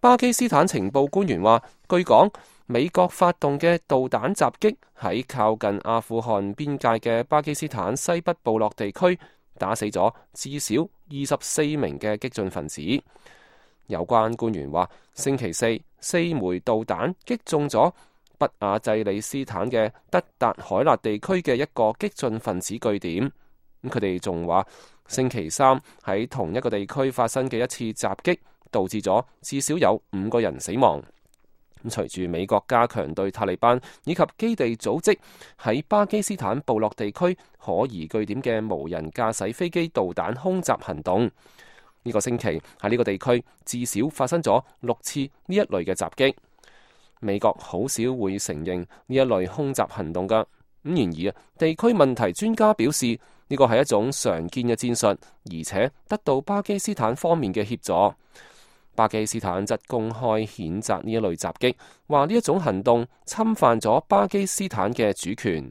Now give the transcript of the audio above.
巴基斯坦情報官員話，據講，美國發動嘅導彈襲擊喺靠近阿富汗邊界嘅巴基斯坦西北部落地區，打死咗至少24名嘅激進分子。有關官員話，星期四4枚導彈擊中咗北亞濟里斯坦嘅德達海納地區嘅一個激進分子據點。佢哋仲話，星期三喺同一個地區發生嘅一次襲擊，導致咗至少有5個人死亡。隨住美國加強對塔利班以及基地組織喺巴基斯坦部落地區可疑據點嘅無人駕駛飛機導彈空襲行動，呢個星期喺呢個地區至少發生咗6次呢一類嘅襲擊。美國好少會承認呢一類空襲行動噶。然而地區問題專家表示，呢個係一種常見嘅戰術，而且得到巴基斯坦方面嘅協助。巴基斯坦則公開譴責呢一類襲擊，話呢一種行動侵犯咗巴基斯坦嘅主權。